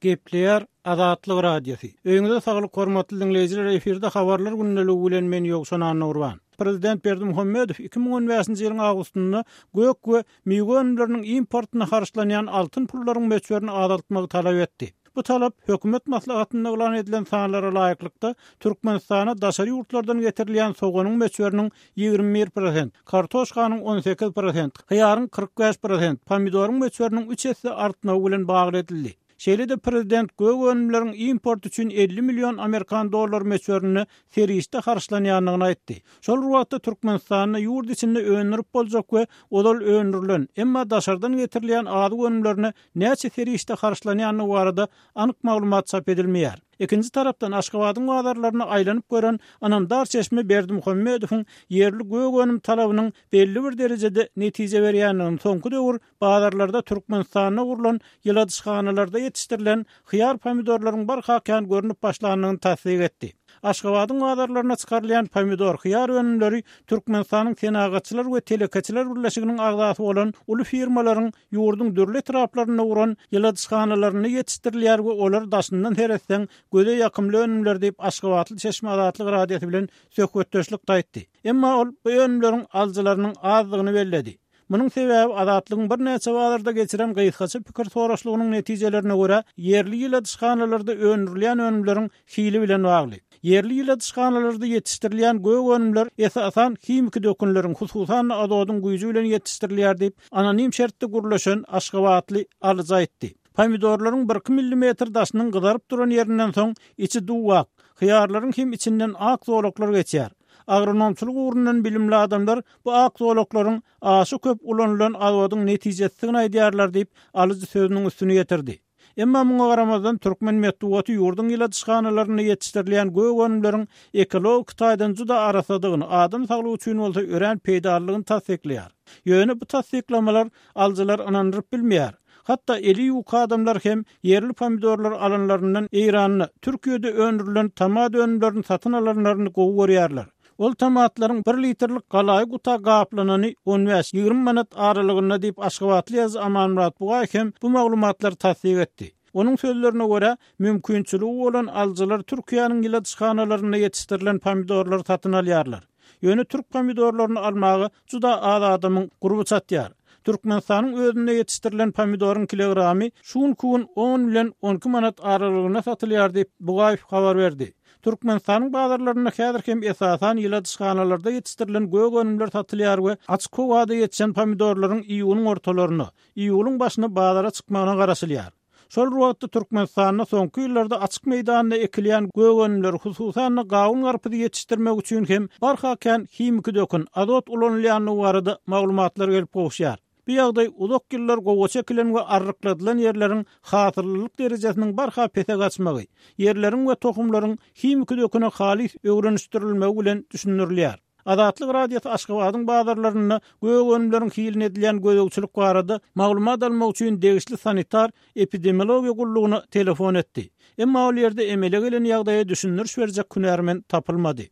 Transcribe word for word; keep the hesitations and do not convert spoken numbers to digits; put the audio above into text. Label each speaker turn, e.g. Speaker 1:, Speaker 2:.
Speaker 1: Gepleýär Azatlyk Radiosy. Öýüňize saglyk hormatly diňleýjiler, efirde habarlar gündeligi bilen men Ýowşan Annagurban. Prezident Berdimuhamedow iki müň on bäşinji ýylyň awgustynda gök we miwe önümleriniň importyna harçlanýan altyn pullaryň möçberini azaltmagy talap etdi. Bu talap hökümet maslahatynda yglan edilen sanlara laýyklykda Türkmenistana daşary ýurtlardan getirilýän soganyň möçberiniň ýigrimi bir prosent, kartoşkanyň on sekiz prosent, hyýaryň kyrk bäş prosent, pomidoryň möçberiniň üç esse artmagy bilen bagly edildi. Şeýle-de prezident gök önümleriň import üçin elli million amerikan dollar möçberinde serişde harçlanýandygyny aýtdy. Şol bir wagtda Türkmenistanda ýurt içinde öndürip boljak we ozal öndürilen, emma daşardan getirilýän azyk önümlerine näçe serişde harçlanýandygy barada anyk maglumat çap edilmeýär. Ikinji tarapdan Aşgabadyň bazarlaryna aýlanyp gören ynamdar çeşme Berdimuhamedowyň ýerli gök önüm talabynyň belli bir derejede netije berýändigini, soňky döwür bazarlarda Türkmenistanda gurlan ýyladyşhanalarda ýetişdirilen hyýar pomidorlaryň barha kän görnüp başlandygyny tassyk etdi. Aşgabadyň bazarlaryna çykarylýan pomidor, hyýar önümleri Türkmenistanyň Senagatçylar we Telekeçiler Birleşiginiň agzasy bolan uly firmalaryň ýurduň dürli etraplarynda guran ýyladyşhanalarynda ýetişdirilýär we olar daşyndan seretseň göze ýakymly önümler diýip Aşgabatly Çeşme Azatlyk Radiosy bilen söhbetdeşlik aýtdy. Emma ol bu önümleriň alyjylarynyň azdygyny belledi. Munuň sebäbi Azatlygyň birnäçe bazarda geçiren gysgaça pikir soraşlygynyň netijelerine görä ýerli ýyladyşhanalarda öndürilýän önümleriň hili bilen bagly. Ýerli ýyladyşhanalarda ýetişdirilýän gök önümler esasan himiki dökünleriň, hususan azodyň güýji bilen ýetişdirilýär diýip anonim şertde gurlaşan Aşgabatly alyjy aýtdy. Pomidorlaryň bir iki millimetr daşynyň gyzaryp duran ýerinden soň içi duwak, hyýarlaryň hem içinden ak zolaklar geçýär. Agronomçylyk ugrundan bilimli adamlar bu ak zolaklaryň aşa köp ulanylan azodyň netijesidigini aýdýarlar diýip alyjy sözüniň üstüne ýetirdi. Emma muňa garamazdan türkmen metbugaty ýurduň ýyladyşhanalarynda ýetişdirilýän gök önümleriň ekologik taýdan juda arassadygyny, adam saglygy üçin bolsa örän peýdalydygyny tassyklaýar. Ýöne bu tassyklamalar alyjylar ynandyryp bilmeýär. Hatda eli ýuka adamlar hem ýerli pomidorlar alanlaryndan Eýranda, Türkiýede öndürilen tomat önümlerini satyn alanlaryny gowy görýärler. Ol tomatlaryň bir litrlik galaýy guta gaplanany on bäş ýigrimi manat aralygynda diýip Aşgabatly ýazyjy Amanmyrat Bugaýew hem bu maglumatlary tassyk etdi. Onuň sözlerine görä, mümkinçiligi bolan alyjylar Türkiýäniň ýyladyşhanalarynda ýetişdirilen pomidorlary satyn alýarlar. Ýöne türk pomidorlaryny almaga juda az adamyň gurby çatýar. Türkmenistanyň özünde ýetişdirilen pomidoryň kilogramy şu günki gün on bilen on iki manat aralygynda satylýar diýip Bugaýew habar berdi. Türkmenistanyň bazarlarynda häzir hem esasan ýyladyşhanalarda ýetişdirilen gök önümler satylýar we açyk howada ýetişen pomidorlaryň iýunyň ortalaryna, iýulyň başyna bazara çykmagyna garaşylýar. Şol bir wagtda Türkmenistanda soňky ýyllarda açyk meýdanda ekilýän gök önümleri, hususan-da gawun garpyzy ýetişdirmek üçin hem barha kän himiki dökün, azot ulanylýandygy barada maglumatlar gelip gowuşýar. Bu ýagdaý uzak ýyllar gowaça ekilen we arrykladylan ýerleriň hasyllylyk derejesiniň barha pese gaçmagy, ýerleriň we tohumlaryň himiki döküne halys öwrenişdirilmegi bilen düşündirilýär. Azatlyk Radiosy Aşgabadyň bazarlarynda gök önümleriň hiline edilýän gözegçilik barada maglumat almak üçin degişli sanitar epidemiologiýa gullugyna telefon etdi. Emma ol ýerde emele gelen ýagdaýa düşündiriş berjek hünärmen tapylmady.